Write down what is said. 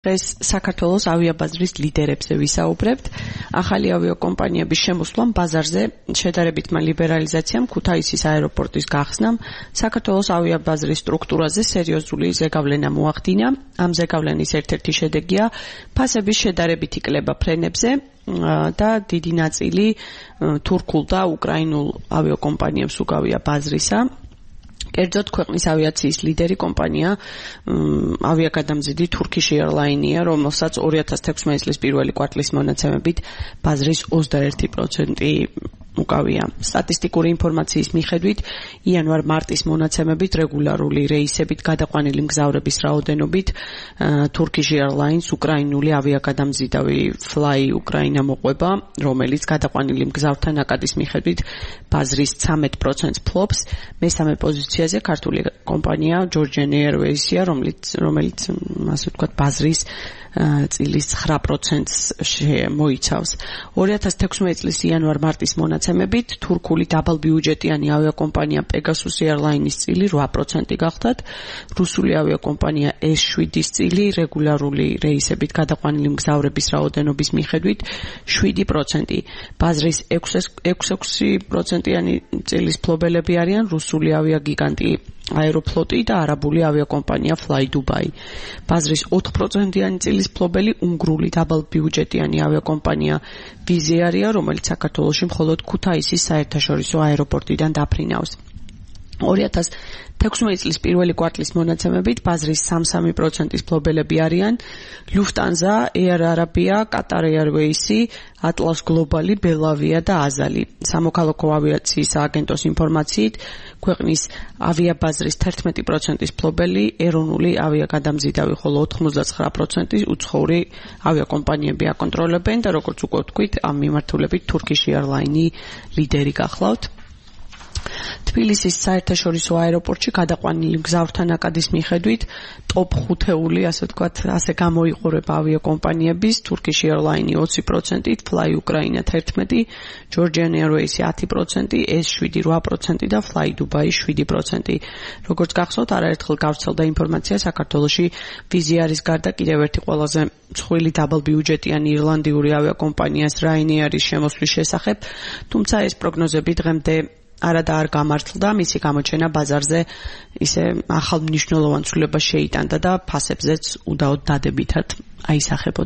დღეს საქართველოს ავიაბაზრის ლიდერებზე ვისაუბრებთ. ახალი ავიაკომპანიების შემოსვლამ ბაზარზე შედარებითმა ლიბერალიზაციამ, ქუთაისის აეროპორტის გახსნამ, საქართველოს ავიაბაზრის სტრუქტურაზე სერიოზული ზეგავლენა მოახდინა. ამ ზეგავლენის ერთ-ერთი შედეგია ფასების შედარებითი კლება ფრენებზე და დიდი ნაწილი თურქულ და უკრაინულ ავიაკომპანიებს უკავია ბაზრისა. კერძოდ ქვეყნის ავიაციის ლიდერი კომპანია ავიაგადამზიდი Turkish Airlines-ია, რომელსაც 2016 წლის პირველი კვარტლის მონაცემებით ბაზრის 21% უკავია. სტატისტიკური ინფორმაციის მიხედვით, იანვარ-მარტის მონაცემებით რეგულარული რეისებით გადაყვანილი მგზავრების რაოდენობით Turkish Airlines უკრაინული ავიაგადამზიდავი Fly Ukraina მოყვება, რომელიც გადაყვანილი მგზავრთა ნაკადის მიხედვით ბაზრის 13%-ს ფლობს. მესამე პოზიციაზე ქართული კომპანია Georgian Airways-ია, რომელიც ასე ვთქვათ ბაზრის წილის 9%-ს მოიცავს. 2016 წლის იანვარ-მარტის მონაცემებით თურქული დაბალბიუჯეტიანი ავიაკომპანია Pegasus Airlines-ის წილი 8% გახდათ, რუსული ავიაკომპანია S7-ის წილი რეგულარული რეისებით გადაყვანილი მგზავრების რაოდენობის მიხედვით 7%. ბაზრის 6%-იანი წილის ფლობელები არიან რუსული ავიაგიგანტი აეროფლოტი და არაბული ავიაკომპანია Fly Dubai. ბაზრის 4%-იანი წილის ფლობელი უნგრული დაბალბიუჯეტიანი ავიაკომპანია Wizz Air-ია, რომელიც საქართველოში მხოლოდ ქუთაისის საერთაშორისო აეროპორტიდან დაფრინავს. 2016 წლის პირველი კვარტლის მონაცემებით ბაზრის 3% ფლობელები არიან Lufthansa, Air Arabia, Qatar Airways, Atlas Global, Belavia და Azali. სამოქალაქო ავიაციის სააგენტოს ინფორმაციით, ქვეყნის ავიაბაზრის 11%-ის ფლობელი ეროვნული ავიაგადამზიდავი, ხოლო 99% უცხოური ავიაკომპანიები აკონტროლებენ და როგორც უკვე ვთქვით, ამ მიმართულებით Turkish Airlines ლიდერი გახლავთ. თბილისის საერთაშორისო აეროპორტში გადაყვანილი მგზავრთა ნაკადის მიხედვით ტოპ 5-ეული, ასე ვთქვათ, ასე გამოიყურება ავიაკომპანიების Turkish Airlines 20%, Fly Ukraina 11%, Georgian Airways 10%, S7 8% და Fly Dubai 7%. როგორც გახსოვთ, არაერთხელ გავრცელდა ინფორმაცია საქართველოში Wizz Air-ის გარდა კიდევ ერთი ყველაზე მსხვილი დაბალბიუჯეტიანი ირლანდიური ავიაკომპანიას Ryanair-ის შემოსვლის შესახებ, თუმცა ეს პროგნოზები დღემდე არადა არ გამართლდა, მისი გამოჩენა ბაზარზე ისე ახალ მნიშვნელოვან ცვლილებას შეიტანდა და ფასებზეც უდაოდ დადებითად აისახებოდა.